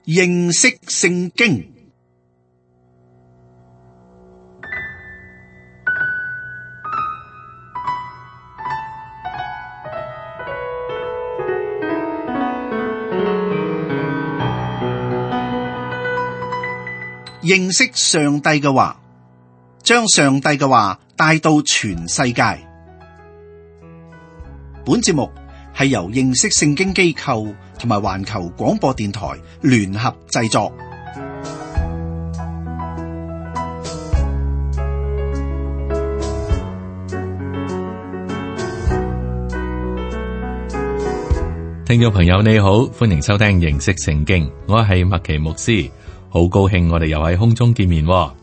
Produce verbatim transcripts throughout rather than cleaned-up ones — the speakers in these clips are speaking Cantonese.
認識聖經。認識上帝嘅話，將上帝嘅話帶到全世界。本節目係由認識聖經機構同埋環球廣播電台聯合製作。聽眾朋友你好，歡迎收聽認識聖經，我係麥奇牧師。好高興我哋又喺空中見面喎。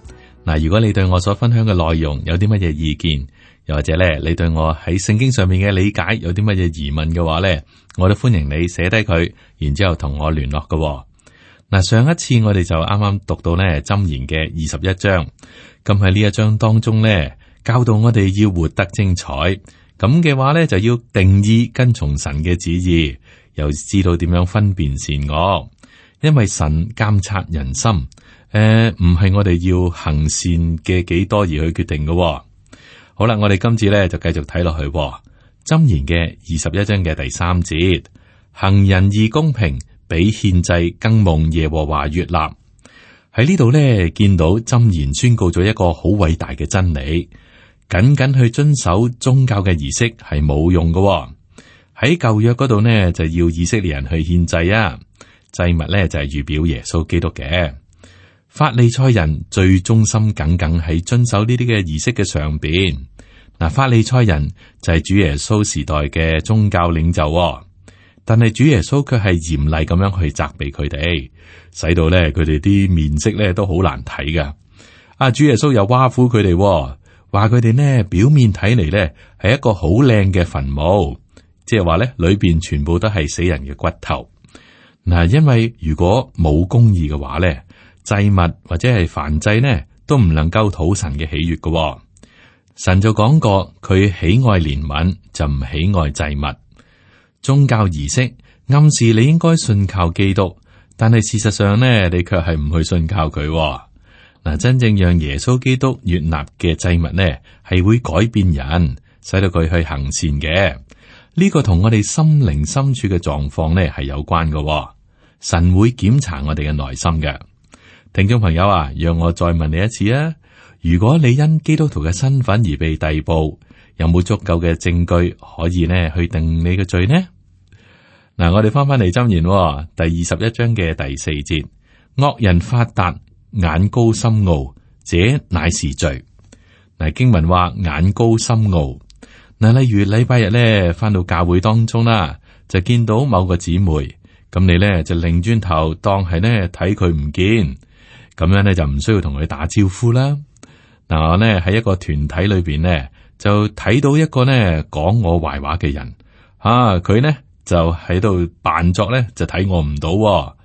嗱，如果你對我所分享嘅內容有啲乜嘢意見，又或者咧你對我喺聖經上面嘅理解有啲乜嘢疑問嘅話咧，我都歡迎你寫低佢，然之後同我聯絡㗎喎。嗱，上一次我哋就啱啱讀到咧箴言嘅二十一章，咁喺呢一章當中咧教導我哋要活得精彩，咁嘅話咧就要定義跟從神嘅旨意，又知道點樣分辨善惡。因為神監察人心，誒、呃，唔係我哋要行善嘅幾多而去決定嘅、哦。好啦，我哋今次咧就繼續睇落去、哦。箴言嘅二十一章嘅第三節，行仁義公平，比獻祭更蒙耶和華悅納。喺呢度咧見到箴言宣告咗一個好偉大嘅真理，僅僅去遵守宗教嘅儀式係冇用嘅、哦。喺舊約嗰度呢，就要以色列人去獻祭啊。祭物咧就係預表耶穌基督嘅。法利賽人最忠心耿耿喺遵守呢啲嘅儀式嘅上邊。嗱，法利賽人就係主耶穌時代嘅宗教領袖、哦，但係主耶穌卻係嚴厲咁樣去責備佢哋，使到咧佢哋啲面色咧都好難睇噶。啊，主耶穌又挖苦佢哋，話佢哋呢表面睇嚟咧係一個好靚嘅墳墓，即係話咧裏邊全部都係死人嘅骨頭。嗱，因為如果冇公義嘅話咧，祭物或者係燔祭呢，都唔能夠討神嘅喜悅嘅、哦。神就講過，佢喜愛憐憫，就唔喜愛祭物。宗教儀式暗示你應該信靠基督，但係事實上呢，你卻係唔去信靠佢、哦。嗱，真正讓耶穌基督悅納嘅祭物呢，係會改變人，使到佢去行善嘅。呢個同我哋心靈深處嘅狀況呢係有關嘅、哦，神會檢查我哋嘅內心嘅。聽眾朋友啊，讓我再問你一次啊，如果你因基督徒嘅身份而被逮捕，有冇足夠嘅證據可以呢去定你嘅罪呢？嗱，我哋翻翻嚟箴言第二十一章嘅第四節，惡人發達，眼高心傲，這乃是罪。嗱，經文話眼高心傲。嗱，例如禮拜日咧，翻到教會當中啦，就見到某個姊妹，咁你咧就擰轉頭當係咧睇佢唔見，咁樣咧就唔需要同佢打招呼啦。嗱，我咧喺一個團體裏邊咧，就睇到一個咧講我壞話嘅人，啊，佢咧就喺度扮作咧就睇我唔到，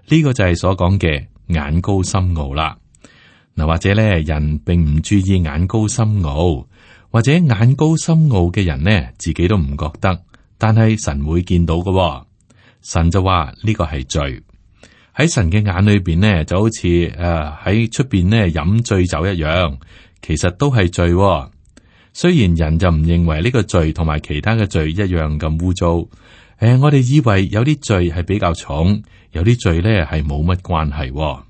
呢個就係所講嘅眼高心傲啦。嗱，或者咧人並唔注意眼高心傲。或者眼高心傲嘅人呢，自己都唔覺得，但係神會見到嘅、哦。神就話呢個係罪，喺神嘅眼裏邊呢，就好似誒喺出邊呢飲醉酒一樣，其實都係罪、哦。雖然人就唔認為呢個罪同埋其他嘅罪一樣咁污糟，誒、呃，我哋以為有啲罪係比較重，有啲罪呢係冇乜關係、哦。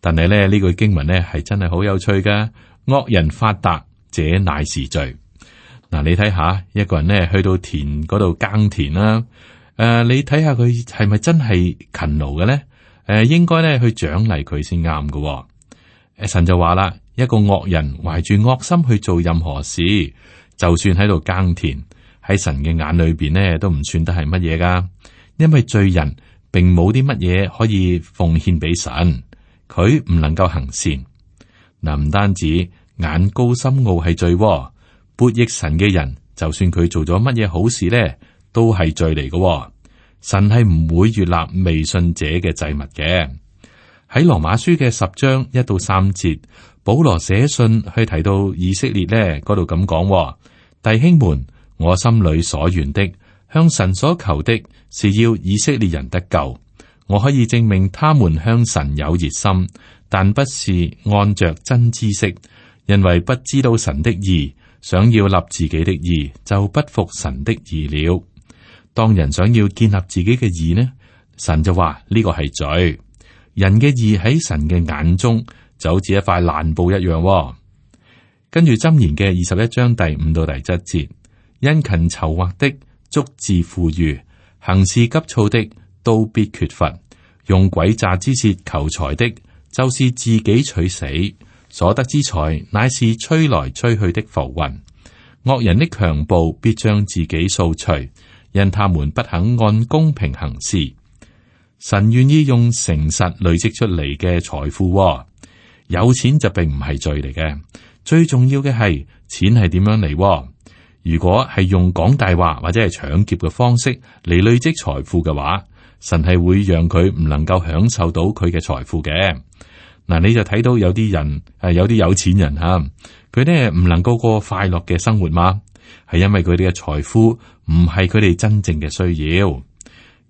但係咧呢句經文呢係真係好有趣噶，惡人發達，這乃是罪。嗱，你睇下一個人咧去到田嗰度耕田啦，誒、呃，你睇下佢係咪真係勤勞嘅咧？誒、呃，應該咧去獎勵佢先啱嘅。誒，神就話啦，一個惡人懷住惡心去做任何事，就算喺度耕田，喺神嘅眼裏邊咧都唔算得係乜嘢噶，因為罪人並冇啲乜嘢可以奉獻俾神，佢唔能夠行善。嗱，唔單止。眼高心傲係罪，悖逆神嘅人，就算佢做咗乜嘢好事咧，都係罪嚟嘅。神係唔會悅納未信者嘅祭物嘅。喺羅馬書嘅十章一到三節，保羅寫信去提到以色列咧，嗰度咁講：弟兄們，我心裏所願的，向神所求的，是要以色列人得救。我可以證明他們向神有熱心，但不是按着真知識，因為不知道神的義，想要立自己的義，就不服神的義了。當人想要建立自己嘅義呢，神就話呢個係罪。人嘅義喺神嘅眼中就好似一塊爛布一樣，哦。跟住箴言嘅二十一章第五到第七節，殷勤籌劃的足致富裕，行事急躁的都必缺乏，用詭詐之舌求財的，就是自己取死，所得之財乃是吹來吹去的浮雲。惡人的強暴必將自己掃除，因他們不肯按公平行事。神願意用誠實累積出嚟嘅財富，哦，有錢就並唔係罪嚟嘅，最重要嘅係錢係點樣嚟。如果係用講大話或者係搶劫嘅方式嚟累積財富嘅話，神係會讓佢唔能夠享受到佢嘅財富嘅。嗱，你就睇到有啲人係有啲有錢人吓，佢咧唔能夠過快樂嘅生活嘛，係因為佢哋嘅財富唔係佢哋真正嘅需要。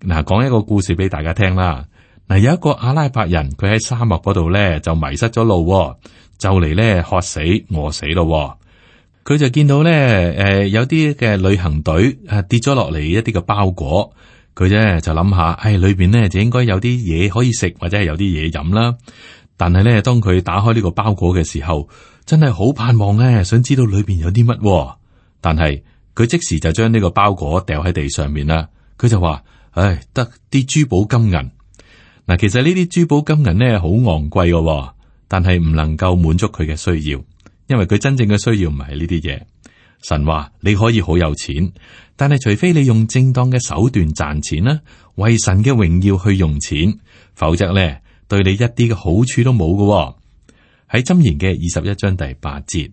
嗱，講一個故事俾大家聽啦。嗱，有一個阿拉伯人，佢喺沙漠嗰度咧就迷失咗路，就嚟咧渴死餓死咯。佢就見到咧，誒、呃，有啲嘅旅行隊誒跌咗落嚟一啲嘅包裹，佢咧就諗下，誒，裏邊咧就應該有啲嘢可以食，或者係有啲嘢飲啦。但係咧，當佢打開呢個包裹嘅時候，真係好盼望咧，想知道裏邊有啲乜。但係佢即時就將呢個包裹掉喺地上面啦。佢就話：唉，得啲珠寶金銀。嗱，其實呢啲珠寶金銀咧好昂貴嘅，但係唔能夠滿足佢嘅需要。因為佢真正嘅需要唔係呢啲嘢。神話你可以好有錢，但係除非你用正當嘅手段賺錢啦，為神嘅榮耀去用錢，否則咧對你一啲嘅好處都冇嘅。喺箴言嘅二十一章第八節，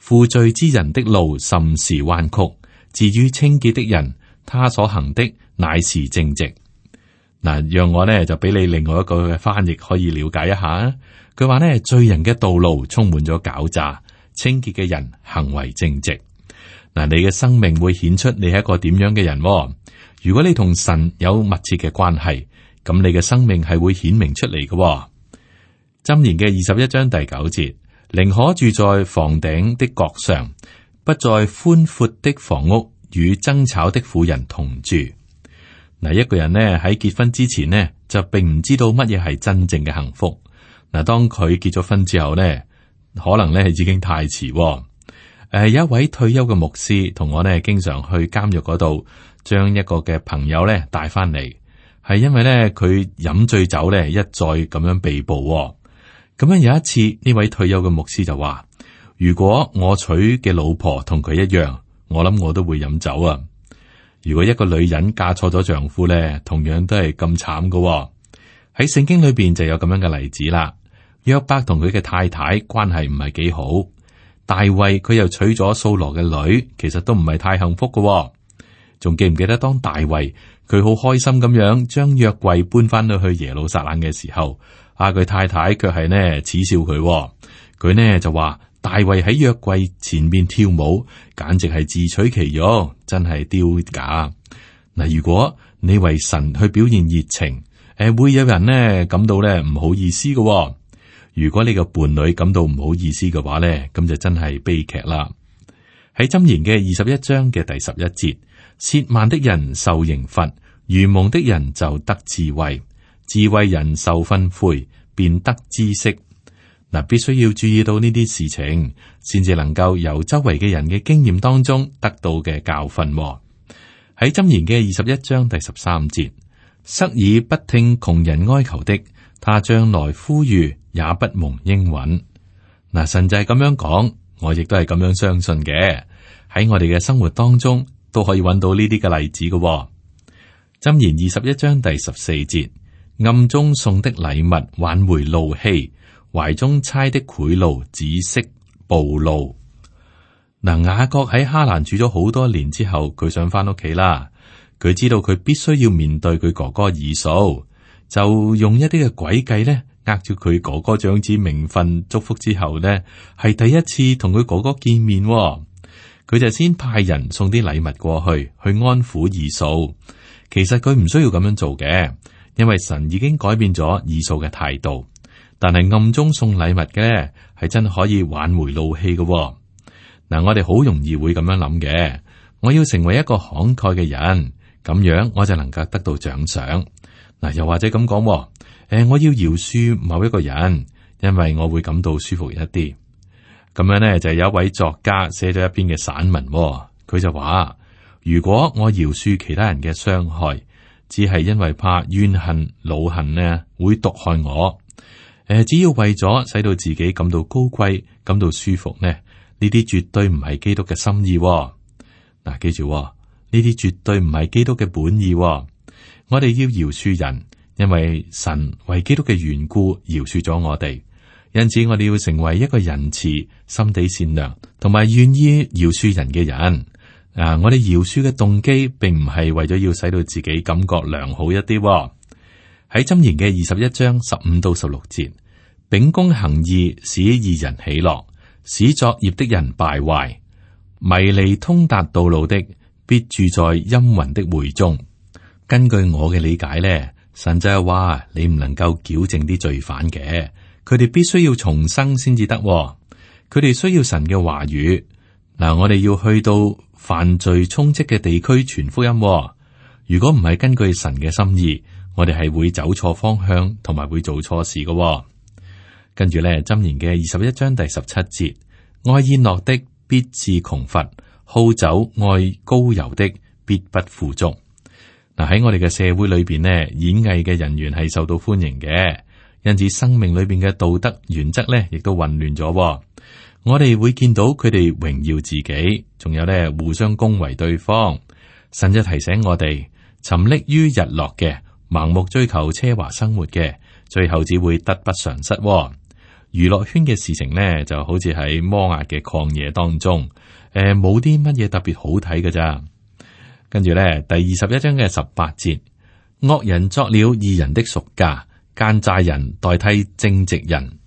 負罪之人的路甚是彎曲，至於清潔的人，他所行的乃是正直。嗱，讓我咧就俾你另外一個嘅翻譯可以了解一下。佢話咧，罪人嘅道路充滿咗狡詐，清潔嘅人行為正直。嗱，你嘅生命會顯出你係一個點樣嘅人。如果你同神有密切嘅關係，咁你嘅生命係會顯明出嚟嘅。箴言嘅二十一章第九節，寧可住在房頂的角上，不在寬闊的房屋與爭吵的婦人同住。嗱，一個人呢喺結婚之前呢，就並唔知道乜嘢係真正嘅幸福。嗱，當佢結咗婚之後呢，可能咧已經太遲。誒、呃，有一位退休嘅牧師同我呢，經常去監獄嗰度，將一個嘅朋友咧帶翻嚟，係因為咧佢飲醉酒咧一再咁樣被捕。咁樣有一次，呢位退休嘅牧師就話：如果我娶嘅老婆同佢一樣，我諗我都會飲酒啊。如果一個女人嫁錯咗丈夫咧，同樣都係咁慘噶。喺聖經裏邊就有咁樣嘅例子啦。約伯同佢嘅太太關係唔係幾好，大衛佢又娶咗掃羅嘅女，其實都唔係太幸福噶。仲記唔記得當大衛佢好開心咁樣將約櫃搬翻到去耶路撒冷嘅時候，啊佢太太卻係呢恥笑佢，佢呢就話大衛喺約櫃前面跳舞，簡直係自取其辱，真係丟架。嗱，如果你為神去表現熱情，誒會有人呢感到咧唔好意思噶。如果你個伴侶感到唔好意思嘅話咧，咁就真係悲劇啦。喺箴言嘅二十一章嘅第十一節，褻慢的人受刑罰，愚蒙的人就得智慧，智慧人受訓誨，便得知識。嗱，必須要注意到呢啲事情，先至能夠由周圍嘅人嘅經驗當中得到嘅教訓。喺箴言嘅二十一章第十三節，塞耳不聽窮人哀求的，他將來呼籲也不蒙應允。嗱，神就係咁樣講，我亦都係咁樣相信嘅。喺我哋嘅生活當中都可以揾到呢啲嘅例子嘅。箴言二十一章第十四節，暗中送的禮物挽回怒氣，懷中猜的賄賂止息暴怒。嗱，雅各喺哈蘭住咗好多年之後，佢想翻屋企啦。佢知道佢必須要面對佢哥哥以掃，就用一啲嘅詭計咧，呃住佢哥哥長子名分祝福之後呢，係第一次同佢哥哥見面。佢就先派人送啲禮物過去，去安撫以掃。其實佢唔需要咁樣做嘅，因為神已經改變咗以掃嘅態度。但係暗中送禮物嘅係真係可以挽回怒氣嘅喎。嗱，我哋好容易會咁樣諗嘅，我要成為一個慷慨嘅人，咁樣我就能夠得到獎賞。嗱，又或者咁講，誒、呃，我要饒恕某一個人，因為我會感到舒服一啲。咁樣呢，就有一位作家寫咗一篇嘅散文，佢就話：如果我饒恕其他人嘅傷害，只係因為怕怨恨、惱恨呢會毒害我。誒，只要為咗使到自己感到高貴、感到舒服呢，呢啲絕對唔係基督嘅心意。嗱，記住，呢啲絕對唔係基督嘅本意。我哋要饒恕人，因為神為基督嘅緣故饒恕咗我哋。因此，我哋要成為一個仁慈、心地善良同埋願意饒恕人嘅人。啊，我哋饒恕嘅動機並唔係為咗要使到自己感覺良好一啲。喺箴言嘅二十一章十五到十六節，秉公行義使義人喜樂，使作孽的人敗壞。迷離通達道路的，必住在陰雲的會中。根據我嘅理解咧，神就係話你唔能夠矯正啲罪犯嘅，佢哋必須要重生先至得。佢哋需要神嘅話語。嗱，我哋要去到犯罪充斥嘅地區傳福音。如果唔係根據神嘅心意，我哋係會走錯方向，同埋會做錯事嘅、哦。跟住咧，箴言嘅二十一章第十七節，愛宴樂的必致窮乏，好酒愛膏油的必不富足。嗱，喺我哋嘅社會裏邊呢，演藝嘅人員係受到歡迎嘅，因此生命裏邊嘅道德原則咧，亦都混亂咗、哦。我哋會見到佢哋榮耀自己，仲有咧互相恭維對方。神就提醒我哋，沉溺於日落嘅，盲目追求奢華生活嘅，最後只會得不償失、哦。娛樂圈嘅事情呢，就好似喺摩押嘅曠野當中，誒，冇啲乜嘢特別好睇㗎咋。跟住咧，第二十一章嘅十八節，惡人作了義人的贖價，奸詐人代替正直人。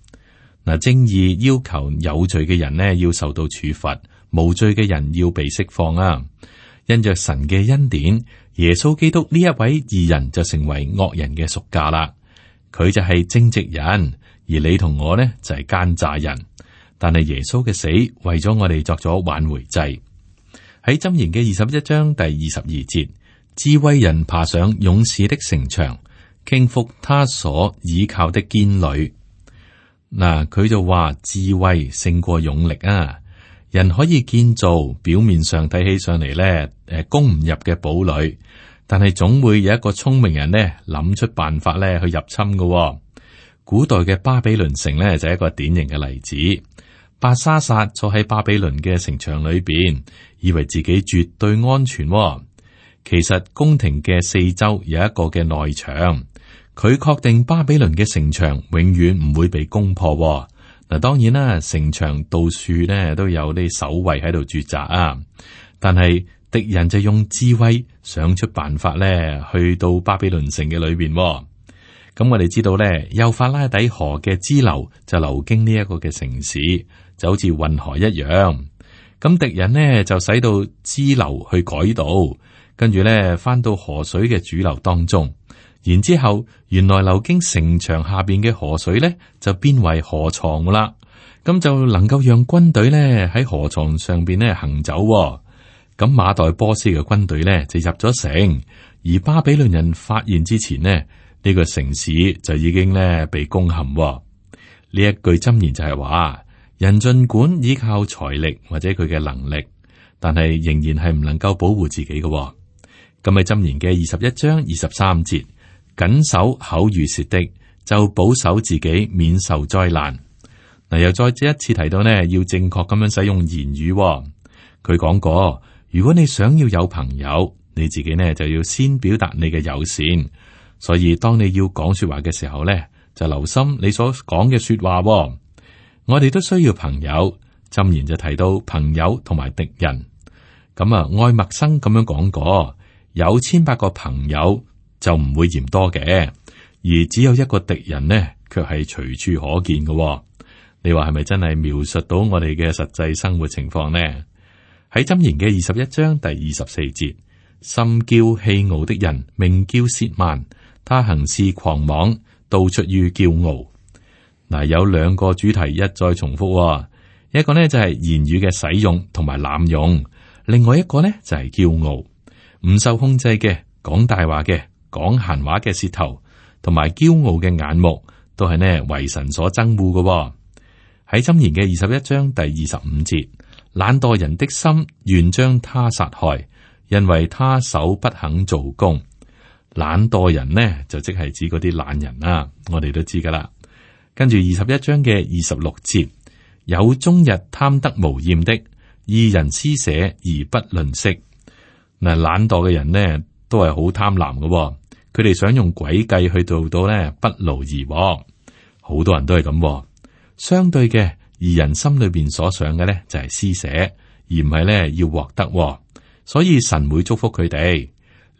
嗱，正義要求有罪嘅人呢要受到處罰，無罪嘅人要被釋放啊。因着神嘅恩典，耶穌基督呢一位義人就成為惡人嘅贖價啦。佢就係正直人，而你同我呢就係奸詐人。但係耶穌嘅死為咗我哋作咗挽回祭。喺箴言嘅二十一章第二十二節，智慧人爬上勇士的城牆，傾覆他所倚靠的堅壘。嗱，佢就話智慧勝過勇力啊！人可以建造表面上睇起上嚟咧，誒，攻唔入嘅堡壘，但係總會有一個聰明人咧諗出辦法咧去入侵嘅、哦。古代嘅巴比倫城咧就係一個典型嘅例子。伯沙撒坐喺巴比倫嘅城牆裏邊，以為自己絕對安全、哦。其實宮廷嘅四周有一個嘅內牆。佢確定巴比倫嘅城牆永遠唔會被攻破、哦。嗱，當然啦，城牆到處咧都有啲守衛喺度駐紮啊。但係敵人就用智慧想出辦法咧，去到巴比倫城嘅裏邊、哦。咁、嗯、我哋知道咧，幼發拉底河嘅支流就流經呢一個嘅城市，就好似運河一樣。咁、嗯、敵人呢就使到支流去改道，跟住咧翻到河水嘅主流當中。然之後，原來流經城牆下邊嘅河水咧，就變為河床啦。咁就能夠讓軍隊咧喺河床上邊咧行走、哦。咁馬代波斯嘅軍隊咧就入咗城，而巴比倫人發現之前呢，呢、呢個城市就已經咧被攻陷、哦。呢一句箴言就係話：人盡管依靠財力或者佢嘅能力，但係仍然係唔能夠保護自己嘅、哦。咁喺箴言嘅二十一章二十三節。謹守口與舌的，就保守自己免受災難。嗱，又再一次提到呢，要正確咁樣使用言語、哦。佢講過，如果你想要有朋友，你自己呢就要先表達你嘅友善。所以當你要講說話嘅時候呢，就留心你所講嘅說話、哦。我哋都需要朋友。箴言就提到朋友同埋敵人。咁啊，愛默生咁樣講過，有千百個朋友。就唔會嫌多嘅，而只有一個敵人呢，卻係隨處可見嘅、哦。你話係咪真係描述到我哋嘅實際生活情況呢？喺箴言嘅二十一章第二十四節，心驕氣傲的人，名叫褻慢，他行事狂妄，都出於驕傲。嗱，有兩個主題一再重複，一個呢就係言語嘅使用同埋濫用，另外一個呢就係驕傲，唔受控制嘅講大話嘅講閒話嘅舌頭，同埋驕傲嘅眼目，都係呢為神所憎惡嘅。喺箴言嘅二十一章第二十五節，懶惰人的心願將他殺害，因為他手不肯做工。懶惰人呢就即係指嗰啲懶人啦，我哋都知噶啦。跟住二十一章嘅二十六節，有終日貪得無厭的，義人施捨而不吝嗇。嗱，懶惰嘅人呢都係好貪婪嘅，佢哋想用詭計去做到呢不勞而獲。好多人都係咁。相對嘅，義人心裏邊所想嘅呢就係施捨，而唔係呢要獲得。所以神會祝福佢哋。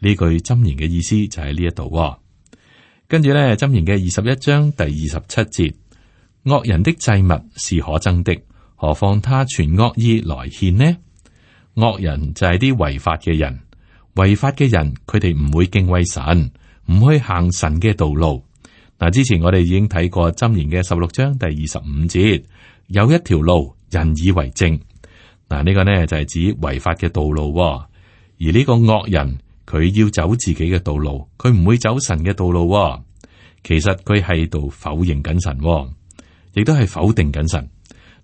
呢句箴言嘅意思就喺呢一度。跟住咧，箴言嘅二十一章第二十七節，惡人的祭物是可憎的，何況他存惡意來獻呢？惡人就係啲違法嘅人，違法嘅人佢哋唔會敬畏神，唔去行神嘅道路。嗱，之前我哋已經睇過箴言嘅十六章第二十五節，有一條路人以為正。嗱，呢個呢就係指違法嘅道路，而呢個惡人。佢要走自己嘅道路，佢唔會走神嘅道路。其實佢係度否認緊神，亦都係否定緊神。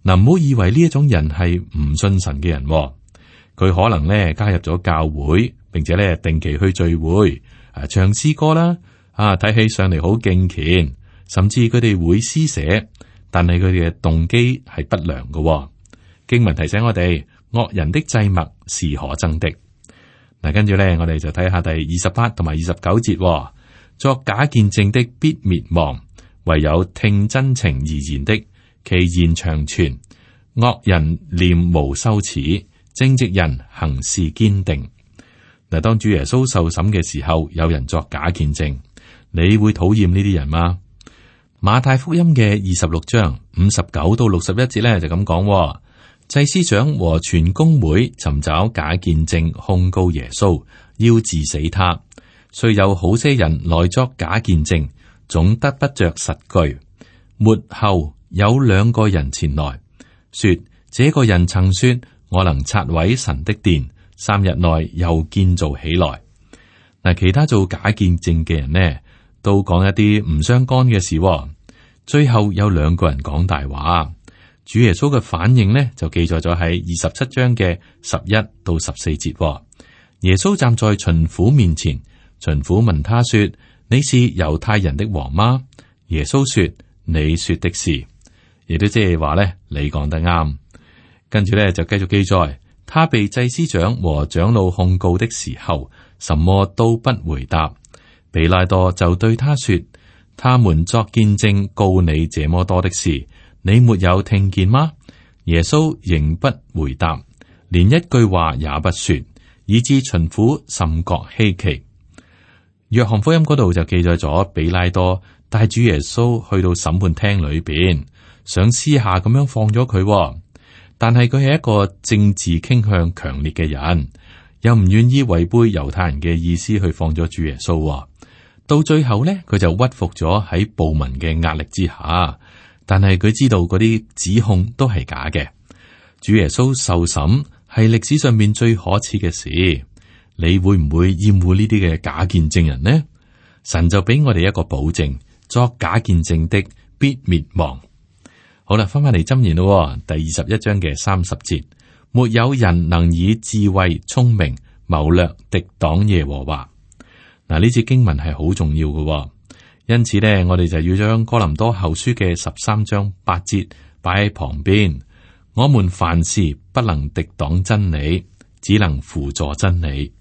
嗱，唔好以為呢一種人係唔信神嘅人，佢可能咧加入咗教會，並且咧定期去聚會，啊唱詩歌啦，啊睇起上嚟好敬虔，甚至佢哋會施捨，但係佢哋嘅動機係不良嘅。經文提醒我哋，惡人的祭物是可憎的。嗱，跟住咧，我哋就睇下第二十八同埋二十九節，作假見證的必滅亡，唯有聽真情而言的，其言長存。惡人念無羞恥，正直人行事堅定。嗱，當主耶穌受審嘅時候，有人作假見證，你會討厭呢啲人嗎？馬太福音嘅二十六章五十九到六十一節咧就咁講。祭司長和全公會尋找假見證控告耶穌，要治死他。雖有好些人來作假見證，總得不着實據。末後有兩個人前來說：這個人曾說，我能拆毀神的殿，三日內又建造起來。嗱，其他做假見證嘅人呢，都講一啲唔相干嘅事。最後有兩個人講大話。主耶穌嘅反應呢，就記載咗喺二十七章嘅十一到十四節。耶穌站在巡撫面前，巡撫問他說：你是猶太人的王嗎？耶穌說：你說的是。亦都即係話咧，你講得啱。跟住咧就繼續記載，他被祭司長和長老控告的時候，什麼都不回答。比拉多就對他說：他們作見證告你這麼多的事，你沒有聽見嗎？耶穌仍不回答，連一句話也不說，以致巡撫甚覺稀奇。約翰福音嗰度就記載咗，比拉多帶主耶穌去到審判廳裏邊，想私下咁樣放咗佢，但係佢係一個政治傾向強烈嘅人，又唔願意違背猶太人嘅意思去放咗主耶穌。到最後呢，佢就屈服咗喺暴民嘅壓力之下。但係佢知道嗰啲指控都係假嘅。主耶穌受審係歷史上面最可恥嘅事。你會唔會厭惡呢啲嘅假見證人呢？神就俾我哋一個保證，作假見證的必滅亡。好啦，翻翻嚟箴言咯，第二十一章嘅三十節，沒有人能以智慧、聰明、謀略敵擋耶和華。嗱，呢節經文係好重要嘅。因此呢，我哋就要將哥林多後書嘅十三章八節擺喺旁邊。我們凡事不能敵擋真理，只能輔助真理。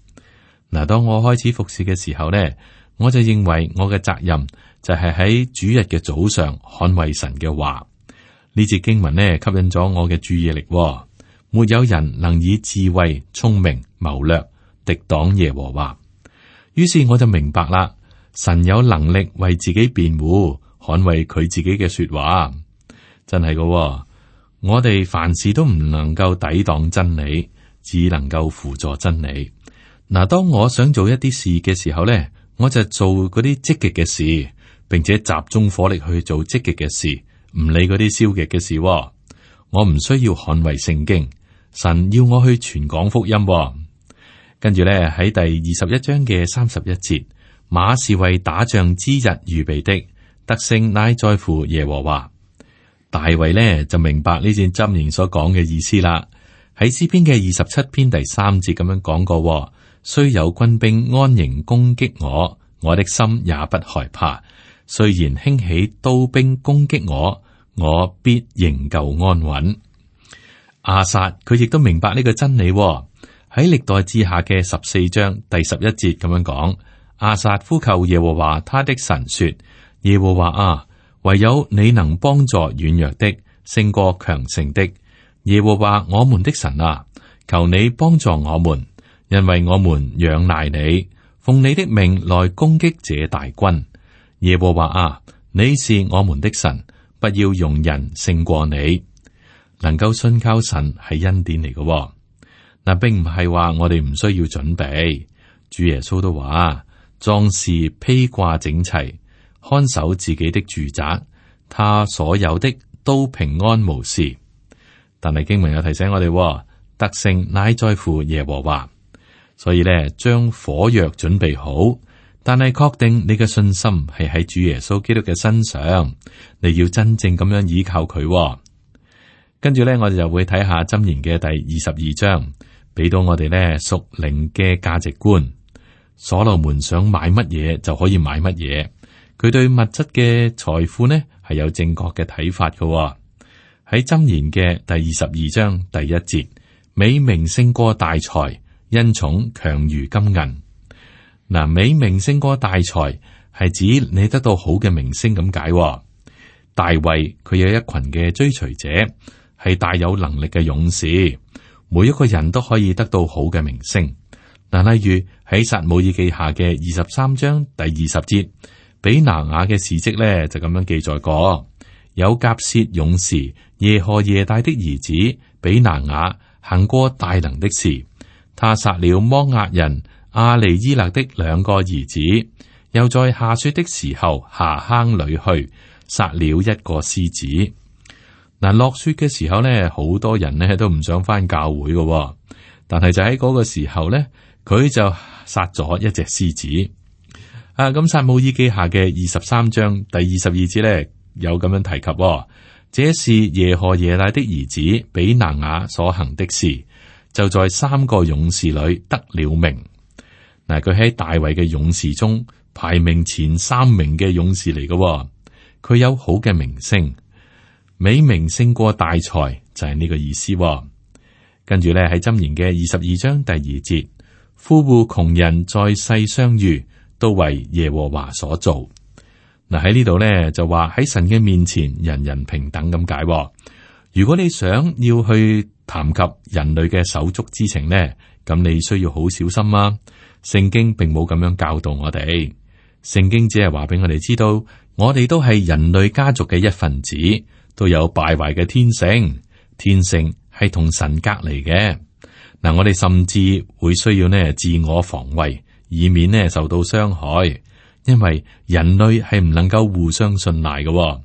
嗱，當我開始服侍嘅時候呢，我就認為我嘅責任就係喺主日嘅早上捍衛神嘅話。呢節經文呢，吸引咗我嘅注意力。沒有人能以智慧、聰明、謀略敵擋耶和華。於是我就明白啦。神有能力為自己辯護，捍衛佢自己嘅說話，真係噶、哦。我哋凡事都唔能夠抵擋真理，只能夠輔助真理。嗱，當我想做一啲事嘅時候呢，我就做嗰啲積極嘅事，並且集中火力去做積極嘅事，唔理嗰啲消極嘅事。我唔需要捍衛聖經，神要我去傳講福音。跟住咧喺第二十一章嘅三十一節，馬是為打仗之日預備的，得勝乃在乎耶和華。大衛呢就明白呢段箴言所講嘅意思啦。喺詩篇嘅二十七篇第三節咁樣講過，雖有軍兵安營攻擊我，我的心也不害怕。雖然興起刀兵攻擊我，我必仍舊安穩。亞薩佢亦都明白呢個真理。喺歷代志下嘅十四章第十一節咁樣講，亞薩呼求耶和華他的神說：耶和華啊，唯有你能幫助軟弱的，勝過強盛的。耶和華我們的神啊，求你幫助我們，因為我們仰賴你，奉你的命來攻擊這大軍。耶和華啊，你是我們的神，不要容人勝過你。能夠信靠神係恩典嚟嘅。嗱，並唔係話我哋唔需要準備。主耶穌都話，壯士披掛整齊，看守自己的住宅，他所有的都平安無事。但係經文又提醒我哋，得勝乃在乎耶和華。所以咧，將火藥準備好，但係確定你嘅信心係喺主耶穌基督嘅身上，你要真正咁樣依靠佢。跟住咧，我哋就會睇下箴言嘅第二十二章。俾到我哋咧屬靈嘅價值觀。所羅門想買乜嘢就可以買乜嘢，佢對物質嘅財富呢係有正確嘅睇法嘅。喺箴言嘅第二十二章第一節，美名勝過大財，恩寵強如金銀。嗱，美名勝過大財係指你得到好嘅名聲咁解。大衛佢有一群嘅追隨者，係大有能力嘅勇士。每一個人都可以得到好嘅名聲。嗱，例如喺撒母耳記下嘅二十三章第二十節，比拿雅嘅事蹟咧就咁樣記載過：有甲薛勇士耶何耶大的兒子比拿雅行過大能的事，他殺了摩押人亞利伊勒的兩個兒子，又在下雪的時候下坑裏去殺了一個獅子。嗱，落雪嘅時候咧，好多人咧都唔想返教會嘅，但係就喺嗰個時候咧，佢就殺咗一隻獅子。啊，咁撒母耳記下嘅二十三章第二十二節咧，有咁樣提及，這是耶何耶大的兒子比拿雅所行的事，就在三個勇士裏得了名。嗱，佢喺大衛嘅勇士中排名前三名嘅勇士嚟嘅，佢有好嘅名聲。美名勝過大財就係、是、呢個意思。跟住咧喺箴言嘅二十二章第二節，富戶窮人在世相遇，都為耶和華所造。嗱，喺呢度咧就話喺神嘅面前人人平等咁解。如果你想要去談及人類嘅手足之情呢，咁你需要好小心啊。聖經並冇咁樣教導我哋，聖經只係話俾我哋知道，我哋都係人類家族嘅一份子。都有敗壞嘅天性，天性係同神隔離嘅。嗱，我哋甚至會需要呢自我防衛，以免呢受到傷害。因為人類係唔能夠互相信賴嘅。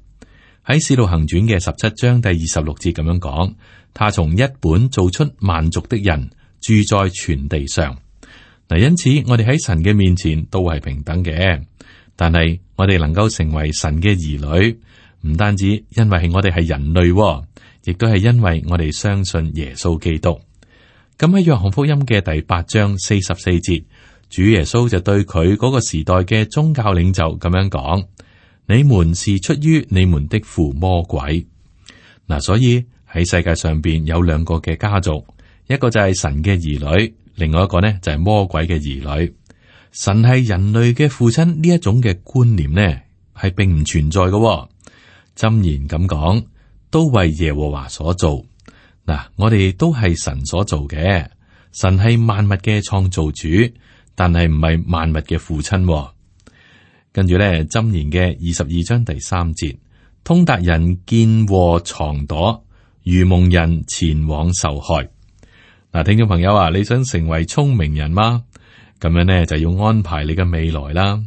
喺《使徒行傳》嘅十七章第二十六節咁樣講，他從一本造出萬族的人，住在全地上。嗱，因此我哋喺神嘅面前都係平等嘅，但係我哋能夠成為神嘅兒女。唔單止因為係我哋係人類，亦都係因為我哋相信耶穌基督。咁喺約翰福音嘅第八章四十四節，主耶穌就對佢嗰個時代嘅宗教領袖咁樣講：你們是出於你們的父魔鬼。嗱，所以喺世界上邊有兩個嘅家族，一個就係神嘅兒女，另外一個呢就係魔鬼嘅兒女。神係人類嘅父親呢一種嘅觀念呢，係並唔存在嘅。箴言咁講，都為耶和華所做。嗱，我哋都係神所做嘅，神係萬物嘅創造主，但係唔係萬物嘅父親。跟住咧，箴言嘅二十二章第三節，通達人見禍藏躲，愚蒙人前往受害。嗱，聽眾朋友啊，你想成為聰明人嗎？咁樣呢，就要安排你嘅未來啦。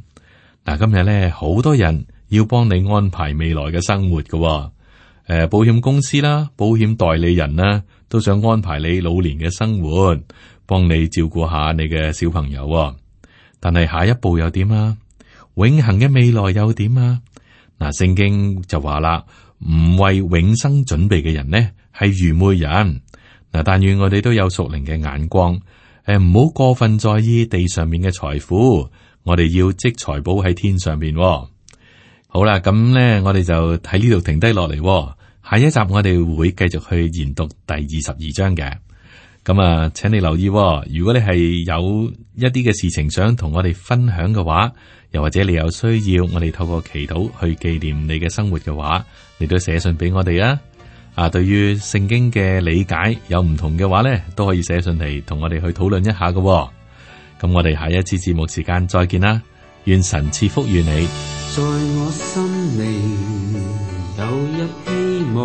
嗱，今日呢，好多人要幫你安排未來嘅生活㗎喎。誒，保險公司啦，保險代理人啦，都想安排你老年嘅生活，幫你照顧下你嘅小朋友喎。但係下一步又點啊？永恆嘅未來又點啊？嗱，聖經就話啦，唔為永生準備嘅人呢，係愚昧人。嗱，但願我哋都有屬靈嘅眼光，誒，唔好過分在意地上面嘅財富，我哋要積財寶喺天上面喎。好啦，咁呢，我哋就喺呢度停低落嚟。下一集我哋會繼續去研讀第二十二章嘅。咁啊，請你留意喎，如果你係有一啲嘅事情想同我哋分享嘅話，又或者你有需要我哋透過祈禱去紀念你嘅生活嘅話，你都寫信俾我哋啊。啊，對於聖經嘅理解有唔同嘅話呢，都可以寫信嚟同我哋去討論一下嘅喎。咁我哋下一次節目時間再見啦，願神賜福於你。在我心裏有一希望，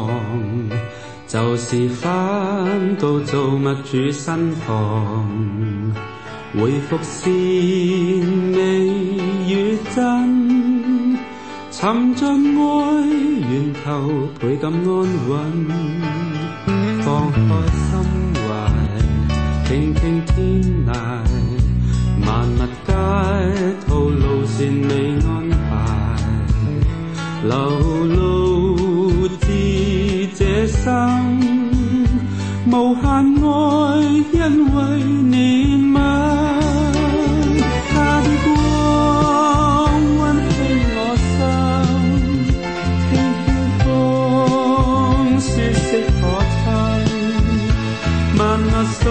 就是返到造物主身旁，回復善美與真，尋着愛源頭倍感安穩，放開心懷，傾聽天籟，萬物皆套路善美安排，流露至這生，無限愛因為憐憫，他的光溫馨我心，輕輕風舒適可親，萬物素